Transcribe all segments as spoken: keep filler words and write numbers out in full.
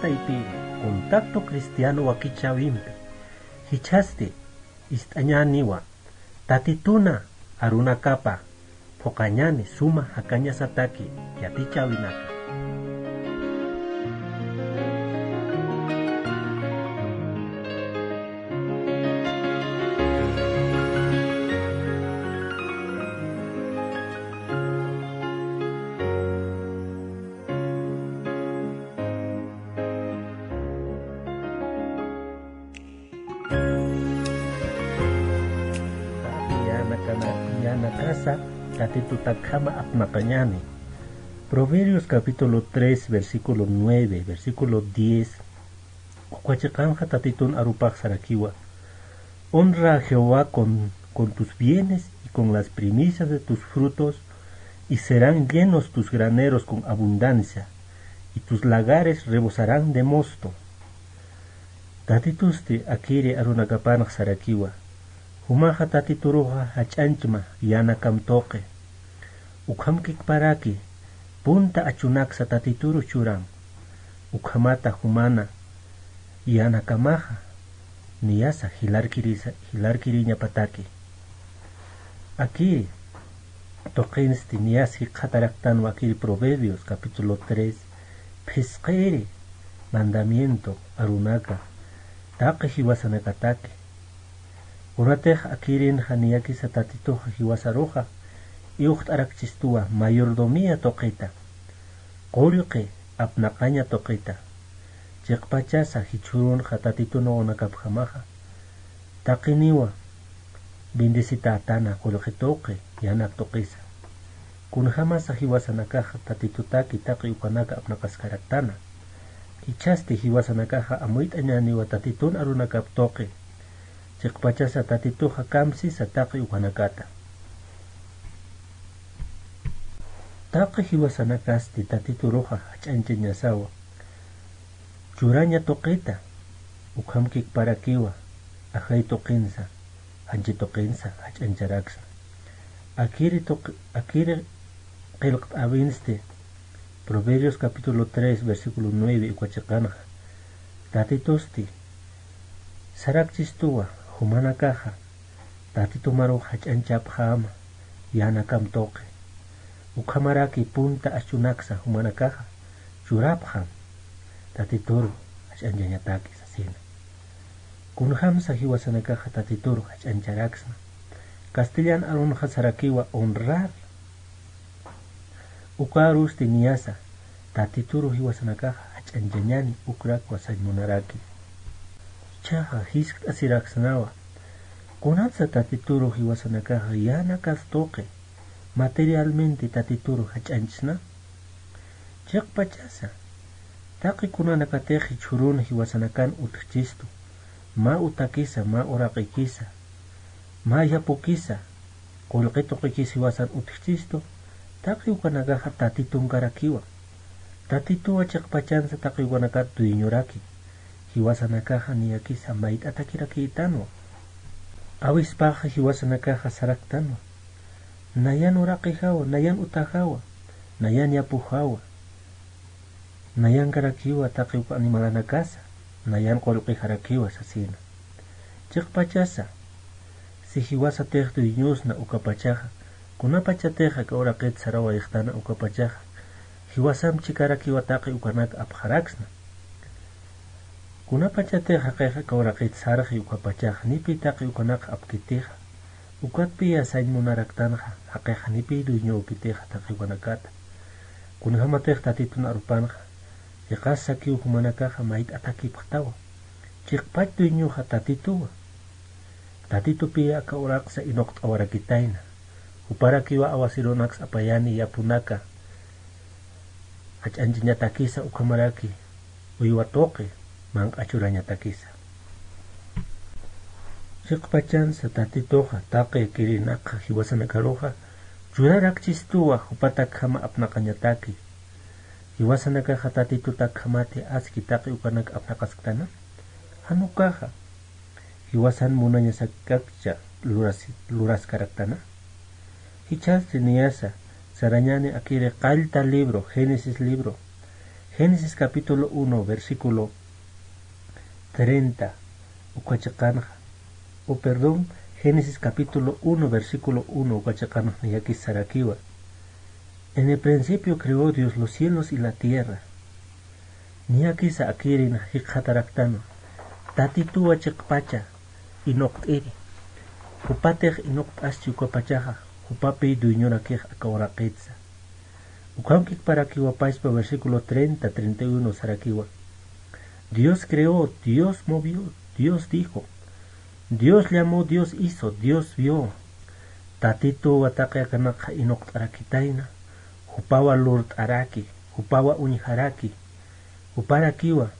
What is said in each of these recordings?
Taypiri, contacto cristiano wakichäwimpi jichhasti ist'añäniwa, Tatituna arunakapa phuqañäni suma jakañasataki yatichäwinaka. Yanakana-, yanakasa Tatitutakhama apnaqañäni. Proverbios capítulo tres, versículo nueve, versículo diez, uka chiqanxa Tatitun arupax sarakiwa: "Honra a Jehová con, con tus bienes y con las primicias de tus frutos, y serán llenos tus graneros con abundancia, y tus lagares rebosarán de mosto". Tatitusti akiri arunakapanx sarakiwa: Jumaxa Tatituruxa jach'añchma yanakam tuqi. Ukham kikparaki punta achunaksa Tatituru churan. Ukhamata jumana yanakamaxa niyasa jilarkirisa-, jilarkiriñapataki. Akiri tuqinsti niyas jikxataraktanwa akiri Proverbios capítulo tres, phisqiri mandamiento arunaka taqi jiwasanakataki. Kunatix akirinxa niyakisa Tatituxa jiwasaruxa iwxt'arakchistuwa mayordomía tuqita, qullqi apnaqaña tuqita. Chiqpachasa jichhürunxa Tatitun wawanakapjamaxa taqiniwa bendecitätana qullqi tuqi, yanak tuqisa. Kunjamasa jiwasanakaxa Tatitutaki taqi ukanaka apnaqaskaraktana. Jichhasti jiwasanakaxa amuyt'añäniwa Tatitun arunakap tuqi. Chiqpachasa Tatituxa kamsisa taqi ukanakata. Taqi jiwasanakasti Tatituruxa jach'añchañasawa. Churaña tuqita, ukham kikparakiwa, ajay tuqinsa, janchi tuqinsa jach'añcharaksna. Akiri tuq-, akiri qillqt'äwinsti, Proverbios capítulo tres, versículo nueve, uka chiqanxa. Tatitusti sarakchistuwa, jumanakaxa Tatitu marux jach'añchapxäma, yanakam tuqi. Ukhamaraki punta achunaksa jumanakaxa churapxam Tatituru jach'añchañataki sasina. Kunjamsa jiwasanakaxa Tatituru jach'añcharaksna. Castellan arunxa sarakiwa honrar. Uka arusti niyasa Tatituru jiwasanakaxa jach'añchañäni ukrakwa sañ munaraki. Jichhaxa jiskt'asiraksnawa, kunatsa Tatituru jiwasanakaxa yanakas tuqi, materialmente Tatituru jach'añchsna. Chiqpachasa taqi kunanakatix jichhürun jiwasanakan utjchistu, mä utakisa, mä uraqikisa, mä yapukisa, qullqi tuqikis jiwasan utjchistu, taqi ukanakaxa Tatitunkarakiwa. Tatituwa chiqpachansa taqi ukanakat dueñoraki. Jiwasanakaxa niyakisa mayt'atakirakïtanwa. Awispaxa jiwasanakaxa saraktanwa: nayan uraqijawa, nayan utajawa, nayan yapujawa, nayankarakiwa taqi uka animalanakasa, nayan qullqijarakiwa sasina. Chiqpachasa, si jiwasatix dueñosna ukapachaxa, kunapachatix aka uraqit sarawayxtana ukapachaxa, jiwasamp chikarakiwa taqi ukanak apxaraksna. Kunapachatix jaqix aka uraqit sarxi ukapachaxa, nipi taqi ukanak apkitixa, ukatpiya sañ munaraktanxa, jaqix nipi dueñökitixa taqi ukanakata. Kunjamatix Tatitun arupanxa, chiqas sakiw jumanakaxa mayt'atakipxtawa. Chiqpach dueñoxa Tatituwa. Tatitupiya aka uraqsa inuqt'awarakitayna. Juparakiwa awasirunaks apayani yapunaka jach'añchañatakisa ukhamaraki uywa tuqi manq'a churañatakisa. Chiqpachansa Tatituxa taqi kirinakxa jiwasanakaruxa churarakchistuwa jupatakjama apnaqañataki. Jiwasanakaxa Tatitutakjamati aski taqi ukanak apnaqasktana. Jan ukaxa jiwasan munañasakakcha luras-, luraskaraktana. Jichhasti niyasa sarañäni akiri qallta libro, Génesis libro. Génesis capítulo uno, versículo treinta, uka chiqanxa, o perdón, Génesis capítulo uno, versículo uno, uka chiqanxa niyakis sarakiwa: En el principio creó Dios los cielos y la tierra. Niyakisa akirin jikxataraktanwa: Tatituwa chiqpacha inuqt'iri. Jupatix inuqt'aschi ukapachaxa, jupapi dueñorakix aka uraqitsa. Ukhamkikparakiwa pachpa versículo treinta, treinta y uno sarakiwa: Dios creó, Dios movió, Dios dijo. Dios llamó, Dios hizo, Dios vio. Tatituwa taqi akanakxa inuqt'arakitayna, jupawa lurt'araki, jupawa uñjaraki, juparakiwa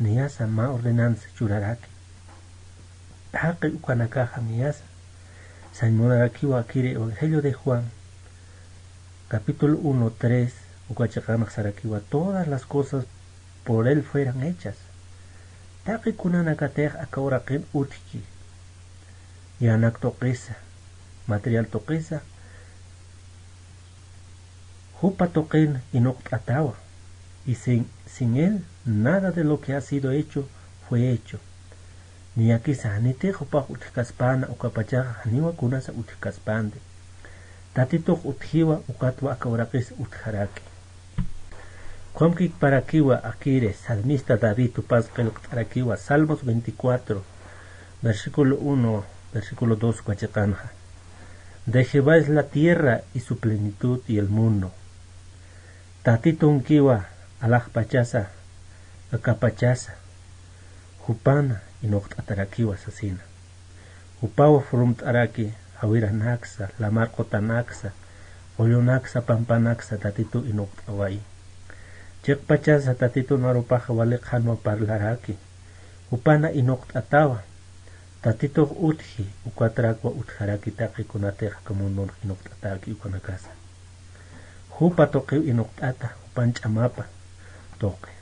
niyasa mä ordenanza churaraki. Taqi ukanakaxa niyasa. Sañ munarakiwa akiri Evangelio de Juan, capítulo uno, tres, uka chiqanxa sarakiwa: Todas las cosas por él fueron hechas. Taqi kunanakatix aka uraqin utjki, yänak tuqisa, material tuqisa, jupa tuqin inuqt'atawa, y sin, sin él nada de lo que ha sido hecho fue hecho. Niyakisa janitix jupax utjkaspäna, ukapachaxa janiwa kunasa utjkaspänti. Tatitux utjiwa, ukatwa aka uraqis utjaraki. Ukhamkikparakiwa akiri salmista David jupas qillqt'arakiwa, Salmos veinticuatro, versículo uno, versículo dos uka chiqanxa: De Jehová es la tierra y su plenitud y el mundo. Tatitunkiwa alaxpachasa, akapachasa, jupana inuqt'atarakiwa sasina. Jupawa furumt'araki, jawiranaksa, lamar qutanaksa, qullunaksa, pampanaksa Tatitu inuqt'awayi. Chiqpachansa Tatitun arupaxa wali qhanwa parlaraki. Jupana inuqt'atawa. Tatitux utji, ukatrakwa utjaraki taqi kunatix aka mundunx inuqt'atäki ukanakasa. Jupa tuqiw inuqt'ata, jupan ch'amapa tuqi.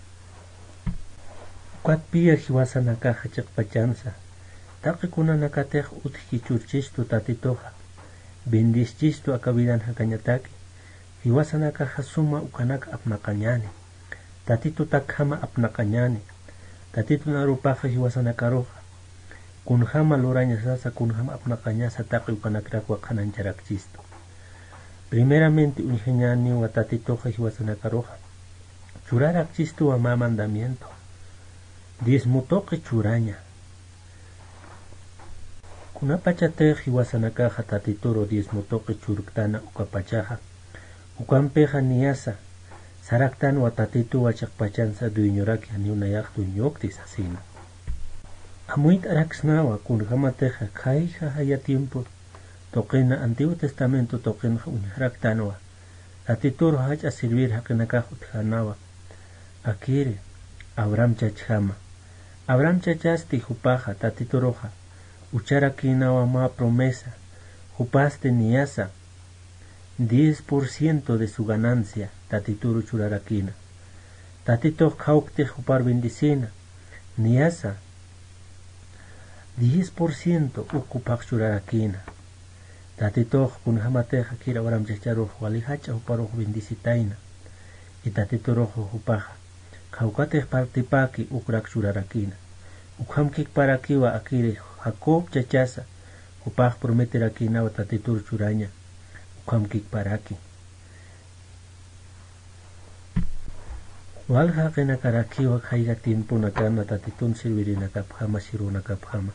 Ukatpiya jiwasanakaxa chiqpachansa, taqi kunanakatix utjki churchistu Tatituxa, bendischistu aka vidan jakañataki, jiwasanakaxa suma ukanak apnaqañäni. Tatitutakjama apnaqañäni. Tatitun arupaxa jiwasanakaruxa kunjama lurañasasa, kunjama apnaqañasa taqi ukanakrakwa qhanañcharakchistu. Primeramente uñjañäniwa Tatituxa jiwasanakaruxa churarakchistuwa mä mandamiento, diezmo tuqi churaña. Kunapachatix jiwasanakaxa Tatituru diezmo tuqi churktana ukapachaxa, ukampixa niyasa saraktanwa Tatituwa chiqpachansa dueñoraki, janiw nayax dueñokti sasina. Amuyt'araksnawa kunjamatixa khayja jaya tiempo tuqina, Antiguo Testamento tuqinxa uñjaraktanwa, Tatituru jach'a servir jaqinakax utjänawa. Akiri Abraham chachjama. Abraham chachasti jupaxa Tatituruxa ucharakïnawa mä promesa, jupasti niyasa diez por ciento de su ganancia Tatituru churarakïna. Tatitux khawktix jupar bendicïna, niyasa diez por ciento uk jupax churarakïna. Tatitux kunjämatix akir Abraham chacharux wali jach'a juparux bendicitayna. Y Tatiturux jupaxa khawkatix partipäki ukrak churarakïna. Ukhamkikparakiwa akiri Jacob chachasa, jupax prometerakïnawa Tatitur churaña. Ukhamkikparaki. Walja jaqinakarakiwa khayja tiemponakana Tatitun sirvirinakapjama, sirunakapjama.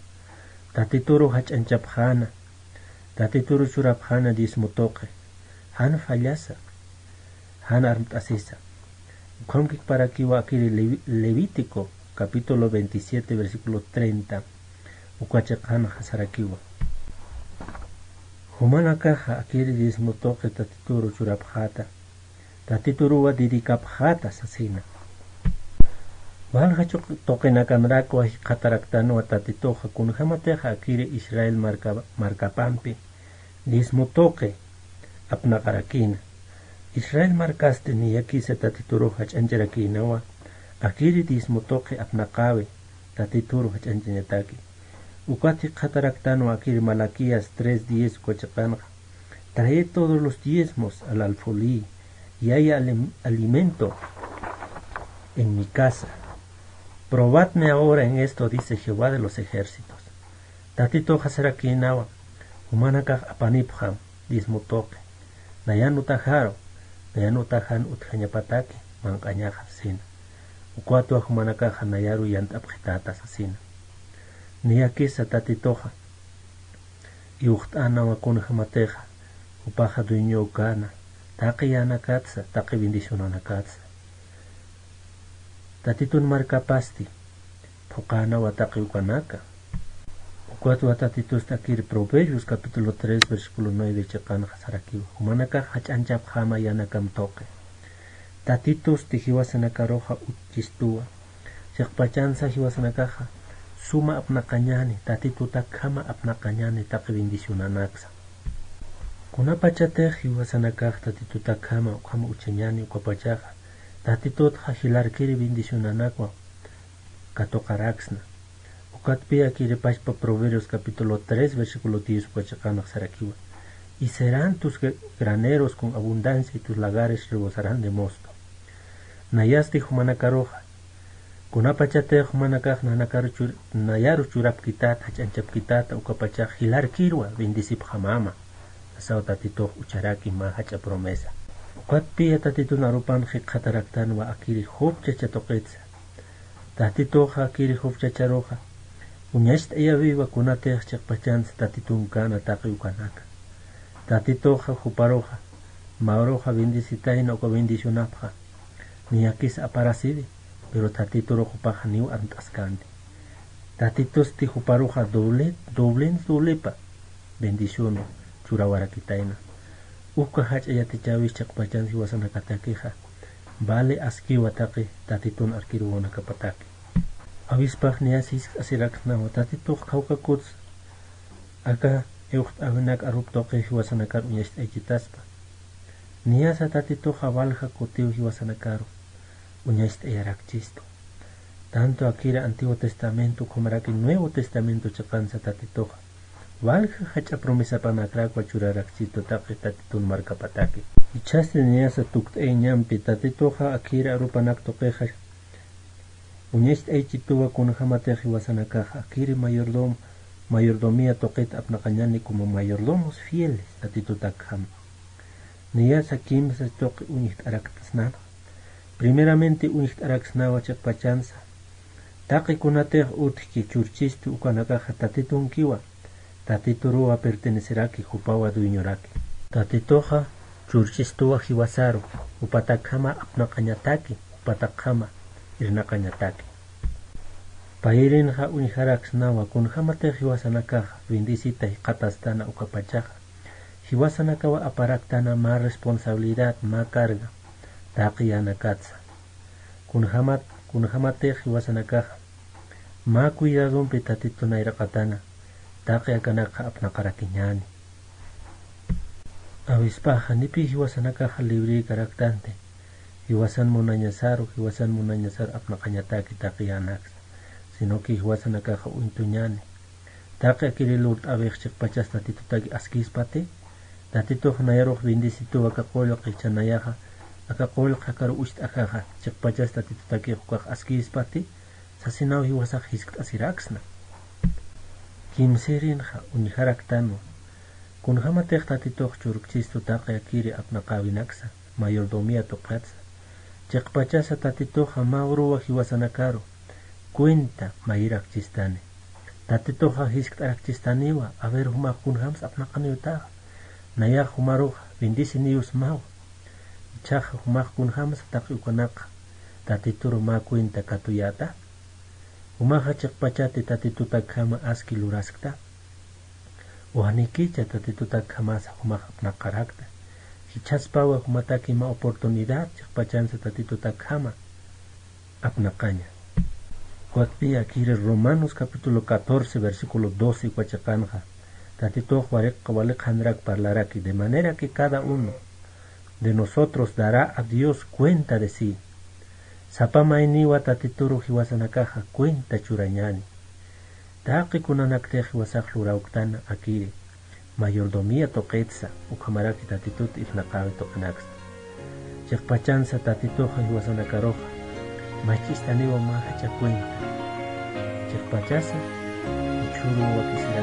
Tatituru jach'añchapxäna, Tatituru churapxäna diezmo tuqi. Jan fallasa, jan armt'asisa. Ukhamkikparakiwa akiri Levi-, Levítico, capítulo veintisiete, versículo treinta, uka chiqanxa sarakiwa. Jumanakaxa akiri diezmo tuqi Tatituru churapxäta, Tatituruwa dedicapxäta sasina. Walja chuq-, tuqinakanrakwa jikxataraktanwa Tatituxa kunjämatixa akiri Israel marka-, markapampi diezmo tuqi apnaqarakïna. Israel markasti niyakisa Tatiturux jach'añcharakïnawa, akiri diezmo tuqi apnaqäwi Tatituru jach'añchañataki. Ukat jikxataraktanwa akiri Malaquías tres diez uka chiqanxa: Traed todos los diezmos al alfolí, y haya alem-, alimento. en mi casa. Probadme ahora en esto, dice Jehová de los ejércitos. Tatituxa sarakïnawa, jumanakax apanipxam diezmo tuqi, nayan utajaru, nayan utajan utjañapataki manq'añaxa sasina. Ukatwa jumanakaxa nayaru yant'apxitäta sasina. Niyakisa Tatituxa iwxt'änawa kunjamatixa jupaxa dueño ukana, taqi yänakatsa, taqi bendicionanakatsa. Tatitun markapasti phuqänawa taqi ukanaka. Ukatwa Tatitusti akir Proverbios capítulo tres, versículo nueve chiqanxa sarakiwa, jumanakax jach'añchapxäma yänakam tuqi. Tatitusti jiwasanakaruxa utjistuwa. Chiqpachansa jiwasanakaxa suma apnaqañäni, Tatitutakjama apnaqañäni taqi bendicionanaksa. Kunapachatix jiwasanakax Tatitutakjama ukhama utjañäni ukapachaxa, Tatitutxa jilarkiri bendicionanakwa katuqaraksna. Ukatpï akiri pachpa Proverbios capítulo tres, versículo diez uka chiqanx sarakiwa: Y serán tus gra-, graneros con abundancia y tus lagares rebosarán de mosto. Nayasti jumanakaruxa, kunapachatix jumanakax nanakaru chur-, nayaru churapkitäta, jach'añchapkitäta, ukapachax jilarkirwa bendecipxamama. Sasaw Tatitux ucharaki mä jach'a promesa. Ukatpï Tatitun arupan jikxataraktanwa akiri Job chacha tuqitsa. Tatituxa akiri Job chacharuxa uñacht'ayäwiwa kunatix chiqpachansa Tatitun kana taqi ukanaka. Tatituxa juparuxa, mä uruxa bendecitayna uka bendicionapxa, niyakisa aparasiwi, pero Tatiturux jupaxa niw ant'askänti. Tatitusti juparuxa doble, doble, doblepa bendicionwa churawarakitayna. Uka jach'a yatichäwis chiqpachan jiwasanakatakixa vale askiwa taqi Tatitun arkir wawanakapataki. Awispax niyas jiskt'asiraksnawa Tatitux kawkakutsa aka iwxt'äwinak arup tuqi jiwasanakar uñacht'aychitaspa. Niyasa Tatituxa walja kutiw jiwasanakaru uñacht'ayarakchistu. Tanto akiri Antiguo Testamento ukhamaraki Nuevo Testamento chiqansa Tatituxa walja jach'a promesapanakrakwa churarakchistu taqi Tatitun markapataki. Jichhasti niyasa tukt'ayañampi Tatituxa akiri arupanak tuqixa uñacht'aychituwa kunjämatix jiwasanakaxa akiri mayordom-, mayordomía tuqit apnaqañäni como mayordomos fieles Tatitutakjama. Niyasa kimsa tuqi uñjt'araktasnäna. Primeramente uñjt'araksnawa chiqpachansa taqi kunatix utjki churchistu ukanakaxa Tatitunkiwa, Tatituruwa perteneceraki, jupawa dueñoraki. Tatituxa churchistuwa jiwasaru, jupatakjama apnaqañataki, jupatakjama irnaqañataki. Payirinxa uñjaraksnawa kunjämatix jiwasanakaxa bendecita jikxatastana ukapachaxa, jiwasanakawa aparaktana mä responsabilidad, mä carga taqi yänakatsa. Kunjämat-, kunjämatix jiwasanakaxa mä cuidadompi Tatitun nayraqatana, taqi akanakxa apnaqarakiñäni. Awispaxa janipï jiwasanakaxa librïkaraktanti, jiwasan munañasaru, jiwasan munañasaru apnaqañataki taqi yänaksa, sino que jiwasanakaxa uñtuñäni. Taqi akiri lurt'äwix chiqpachas Tatitutaki askispati, Tatitux nayarux bendecituwa aka qullqi, jichha nayaxa aka qullqi akaru ucht'ajaxa, chiqpachas Tatitutakix ukax askispati, sasinaw jiwasax jiskt'asiraksna. Kimsirinxa uñjaraktanwa, kunjämatix Tatitux churkchistu taqi akiri apnaqäwinaksa, mayordomía tuqitsa. Chiqpachasa Tatituxa mä uruwa jiwasanakaru cuenta mayirakchistani. Tatituxa jiskt'arakchistaniwa, a ver, jumax kunjämsa apnaqaniwtaxa. Nayax jumaruxa bendiceniyusmawa. Jichhaxa jumax kunjämsa taqi ukanakxa Tatituru mä cuenta katuyäta. Jumaxa chiqpachati Tatitutakjama aski luraskta. Wanikicha Tatitutakjamasa jumax apnaqarakta. Jichhaspawa jumataki mä oportunidad chiqpachansa Tatitutakjama apnaqaña. Ukatpï akiri Romanos capítulo catorce, versículo doce uka chiqanxa, Tatitux waliq-, waliqhanrak parlaraki, de manera que cada uno de nosotros dará a Dios cuenta de sí. Sapa mayniwa Tatituru jiwasanakaxa cuenta churañäni. Taqi kunanaktix jiwasax lurawktana akiri mayordomía tuqitsa, ukhamaraki Tatitut irnaqäwi tuqinaksta. Chiqpachansa Tatituxa jiwasanakaruxa Mach'istaniwa mä jacha cuenta. Chiqpachasa jichhürux wakisita